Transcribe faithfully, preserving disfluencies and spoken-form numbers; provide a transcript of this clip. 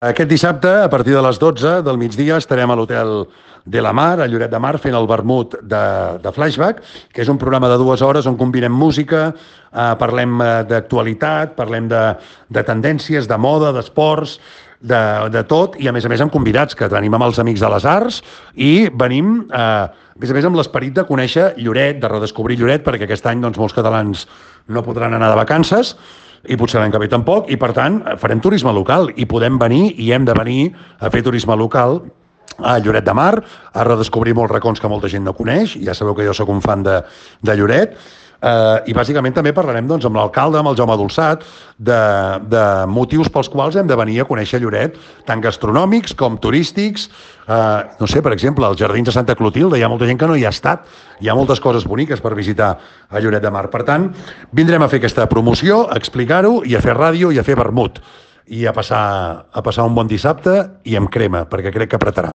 Aquest dissabte, a partir de les dotze del migdia, estarem a l'Hotel de la Mar, a Lloret de Mar, fent el vermut de, de Flashback, que és un programa de dues hores on combinem música, eh, parlem d'actualitat, parlem de, de tendències, de moda, d'esports, de, de tot, i a més a més amb convidats, que tenim amb els Amics de les Arts, i venim, eh, a més a més, amb l'esperit de conèixer Lloret, de redescobrir Lloret, perquè aquest any doncs, molts catalans no podran anar de vacances, i potser l'any que ve tampoc, i per tant farem turisme local i podem venir i hem de venir a fer turisme local a Lloret de Mar, a redescobrir molts racons que molta gent no coneix. Ja sabeu que jo sóc un fan de, de Lloret. Uh, i bàsicament també parlarem doncs, amb l'alcalde, amb el Jaume Dolçat, de, de motius pels quals hem de venir a conèixer Lloret, tant gastronòmics com turístics. Uh, no sé, per exemple, als Jardins de Santa Clotilde hi ha molta gent que no hi ha estat. Hi ha moltes coses boniques per visitar a Lloret de Mar. Per tant, vindrem a fer aquesta promoció, a explicar-ho, i a fer ràdio i a fer vermut. I a passar, a passar un bon dissabte i amb crema, perquè crec que apretarà.